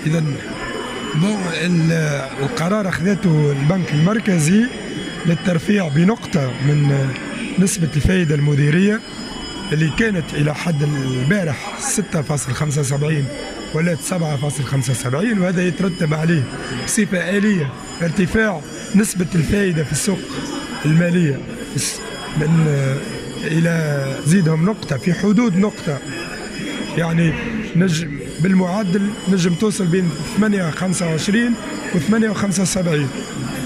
إذا القرار أخذته البنك المركزي للترفيع بنقطة من نسبة الفائدة المديرية اللي كانت إلى حد البارح 6.75 ولات 7.75، وهذا يترتب عليه بصفة آلية ارتفاع نسبة الفائدة في السوق المالية من إلى زيدهم نقطة في حدود نقطة، يعني نجم بالمعدل نجم توصل بين 8.25 و 8.75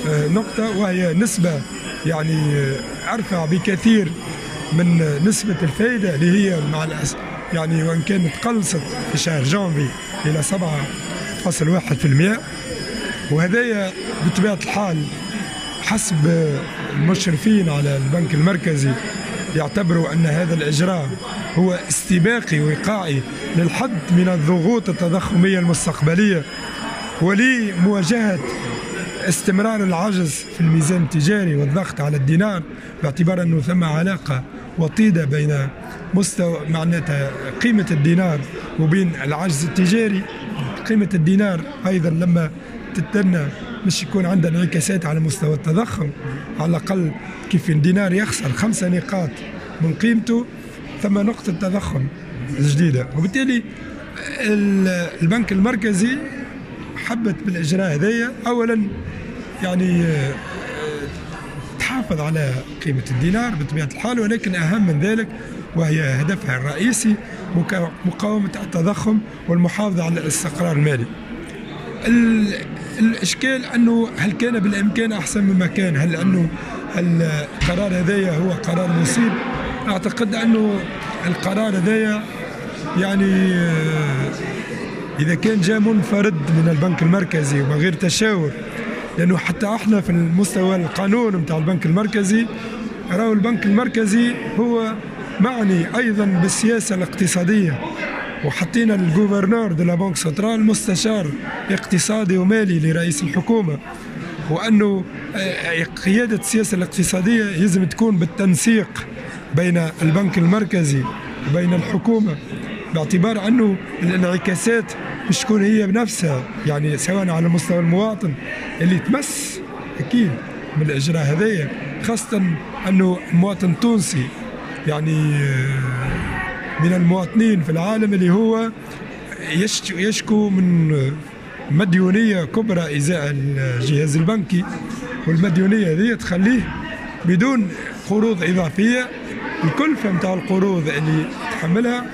نقطة، وهي نسبة يعني أرفع بكثير من نسبة الفائدة اللي هي مع الأسف يعني وإن كانت قلصت في شهر جانفي إلى 7.1%. وهذايا بطبيعة الحال حسب المشرفين على البنك المركزي يعتبروا أن هذا الإجراء هو استباقي وقائي للحد من الضغوط التضخمية المستقبلية ولمواجهة استمرار العجز في الميزان التجاري والضغط على الدينار، باعتبار أنه ثم علاقة وطيدة بين مستوى معناتها قيمة الدينار وبين العجز التجاري. قيمة الدينار أيضا لما تتنى مش يكون عندها انعكاسات على مستوى التضخم، على الأقل كيف الدينار يخسر 5 نقاط من قيمته ثم نقطة تضخم جديدة. وبالتالي البنك المركزي حبت بالإجراء هذايا أولا يعني تحافظ على قيمة الدينار بطبيعة الحال، ولكن أهم من ذلك وهي هدفها الرئيسي مقاومة التضخم والمحافظة على الاستقرار المالي. الإشكال أنه هل كان بالإمكان أحسن مما كان؟ هل أنه القرار هذايا هو قرار مصيب؟ أعتقد أنه القرار هذايا يعني إذا كان جاء منفرد من البنك المركزي ومن غير تشاور، لأنه حتى احنا في المستوى القانون نتاع البنك المركزي راهو البنك المركزي هو معني أيضا بالسياسة الاقتصادية، وحطينا ال gouverneur de la banque centrale مستشار اقتصادي ومالي لرئيس الحكومة، وأنه قيادة السياسة الاقتصادية لازم تكون بالتنسيق بين البنك المركزي وبين الحكومة، باعتبار أنه الانعكاسات مش تكون هي بنفسها، يعني سواء على مستوى المواطن اللي تمس أكيد من الإجراء هذايا، خاصة أنه المواطن التونسي يعني من المواطنين في العالم اللي هو يشكو من مديونية كبرى إزاء الجهاز البنكي، والمديونية هذه تخليه بدون قروض إضافية. الكلفة نتاع القروض اللي تحملها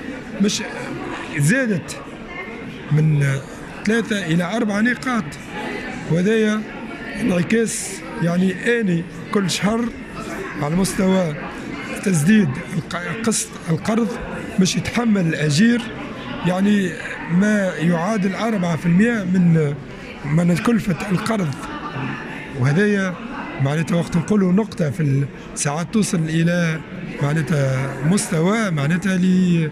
مش زادت من 3 إلى 4 نقاط، وهذايا انعكاس يعني آني كل شهر على مستوى تسديد قسط القرض مش يتحمل الأجير يعني ما يعادل 4% من كلفة القرض. وهذايا معناتها وقت نقولوا نقطة في الساعات توصل إلى معناتها مستوى معناتها لي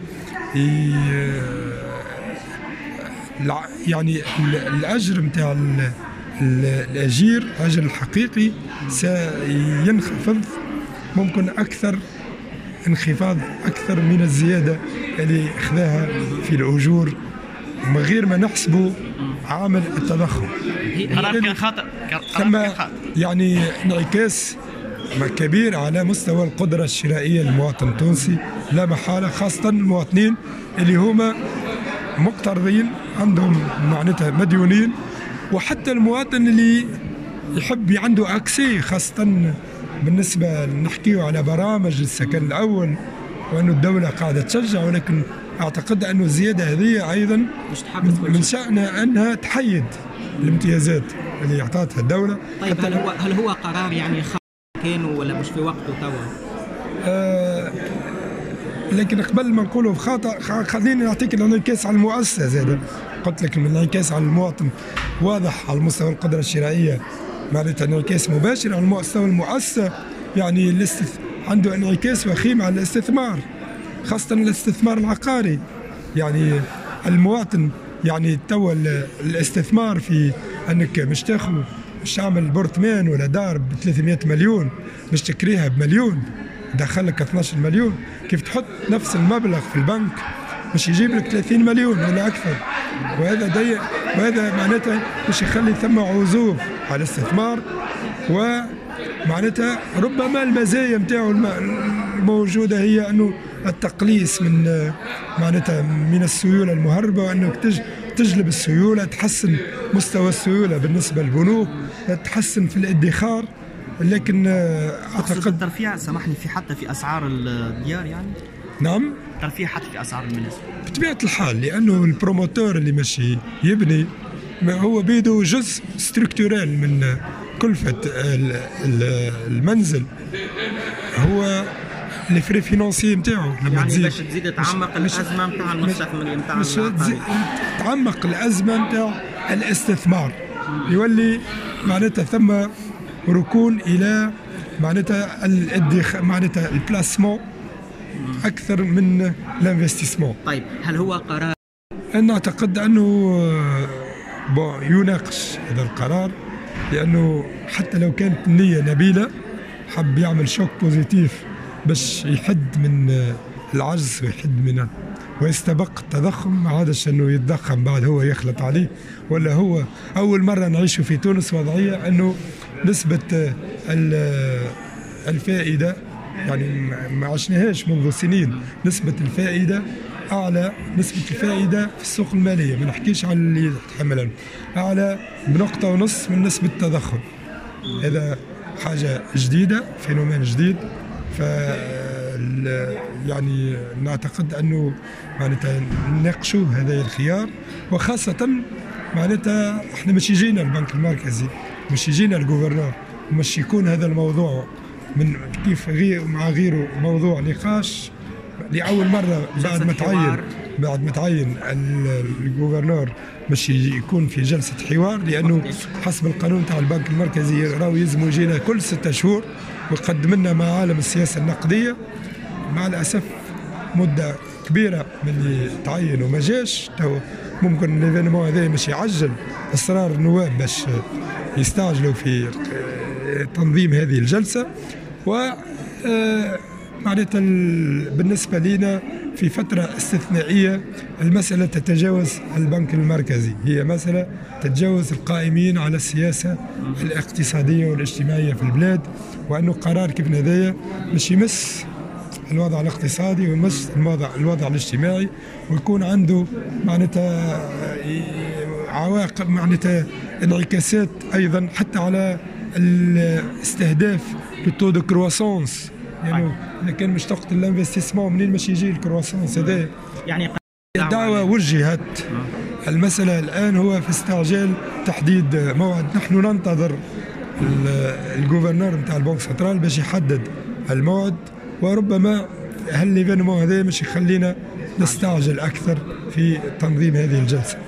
يعني الأجر نتاع الأجير، الأجر الحقيقي سينخفض ممكن أكثر انخفاض أكثر من الزيادة اللي أخذها في الأجور من غير ما نحسبوا عامل التضخم. قرار كان خاطئ، ثم يعني انعكاس كبير على مستوى القدرة الشرائية للمواطن التونسي لا محالة، خاصة المواطنين اللي هما مقترضين عندهم معناتها مديونين، وحتى المواطن اللي يحب عنده اكسي، خاصة بالنسبة نحكيو على برامج السكن الأول وأنه الدولة قاعدة تشجع، ولكن أعتقد أنه الزيادة هذه أيضا من شأنها أنها تحيد الامتيازات اللي أعطتها الدولة. طيب هل هو قرار يعني كان ولا مش في وقته توا؟ لكن قبل ما نقوله خاطئ خليني نعطيك الانعكاس على المؤسسة زاد. قلت لك الانعكاس على المواطن واضح على مستوى القدرة الشرائية، معناتها انعكاس مباشر على مستوى المؤسسة، يعني عنده انعكاس وخيم على الاستثمار، خاصة الاستثمار العقاري. يعني المواطن يعني توا الاستثمار في انك مش تاخذ مش تعمل appartement ولا دار ب 300 مليون مش تكريها بمليون دخلك 12 مليون، كيف تحط نفس المبلغ في البنك مش يجيب لك 30 مليون ولا اكثر. وهذا ضيق، وهذا معناتها باش يخلي ثم عزوف على الاستثمار، ومعناتها ربما المزايا نتاعو الموجودة هي انه التقليص من معناتها من السيولة المهربه، وانك تجلب السيوله، تحسن مستوى السيولة بالنسبة للبنوك، تحسن في الادخار. لكن اعتقد الترفيع، سامحني، في حتى في اسعار الديار يعني؟ نعم، ترفيع حتى في اسعار المنازل. بطبيعة الحال، لانه ال promoteur اللي ماشي يبني ما هو بيدو جزء structurel من كلفه المنزل هو les frais financiers نتاعو. لما يعني تزيد باش تزيد تعمق الازمة نتاع المستثمر نتاع تعمق الازمة نتاع الاستثمار، يولي معناتها ثم ركون الى معناتها الادخار، معناتها ال placement اكثر من l'investissement. طيب، هل هو قرار؟ انا اعتقد انه bon يناقش هذا القرار، لانه حتى لو كانت النية نبيله، حب يعمل choc positif باش يحد من العجز ويحد من ويستبق التضخم، ما عادش انه يتضخم بعد هو يخلط عليه. ولا هو اول مرة نعيش في تونس وضعية انه نسبه الفائده، يعني ما عشناهاش منذ سنين، نسبه الفائدة اعلى، نسبه الفائدة في السوق الماليه، ما نحكيش على اللي تحملها، اعلى ب1.5 نقطة من نسبه التضخم. هذا حاجة جديده، phénomène جديد. ف يعني نعتقد انه معناتها نناقشوا هذا الخيار، وخاصة معناتها احنا مش يجينا البنك المركزي، مش يجينا ال gouverneur، مش يكون هذا الموضوع من كيف غير مع غيره موضوع نقاش لاول مرة بعد ما تعين ال gouverneur باش يكون في جلسه حوار، لانه حسب القانون تاع البنك المركزي راهو يلزم يجينا كل 6 شهور ويقدم لنا معالم السياسة النقديه. مع الاسف مده كبيرة من اللي تعين وما جاش. تو ممكن l'événement هذا مش يعجل اصرار النواب باش يستعجلوا في تنظيم هذه الجلسه. و معناتها بالنسبة لنا في فترة استثنائية، المسألة تتجاوز البنك المركزي، هي مسألة تتجاوز القائمين على السياسة الاقتصادية والاجتماعية في البلاد، وأنه قرار كيف هذايا مش يمس الوضع الاقتصادي ويمس الوضع الاجتماعي ويكون عنده معناتها عواقب، معناتها انعكاسات ايضا حتى على الاستهداف لل taux de croissance. يعني اذا كان مش تقتل l'investissement، منين مش يجي ال croissance هذا؟ يعني الدعوة وجهت، المسألة الآن هو في استعجال تحديد موعد. نحن ننتظر ال gouverneur نتاع ال banque centrale باش يحدد الموعد، وربما هال l'événement هذا مش يخلينا نستعجل أكثر في تنظيم هذه الجلسة.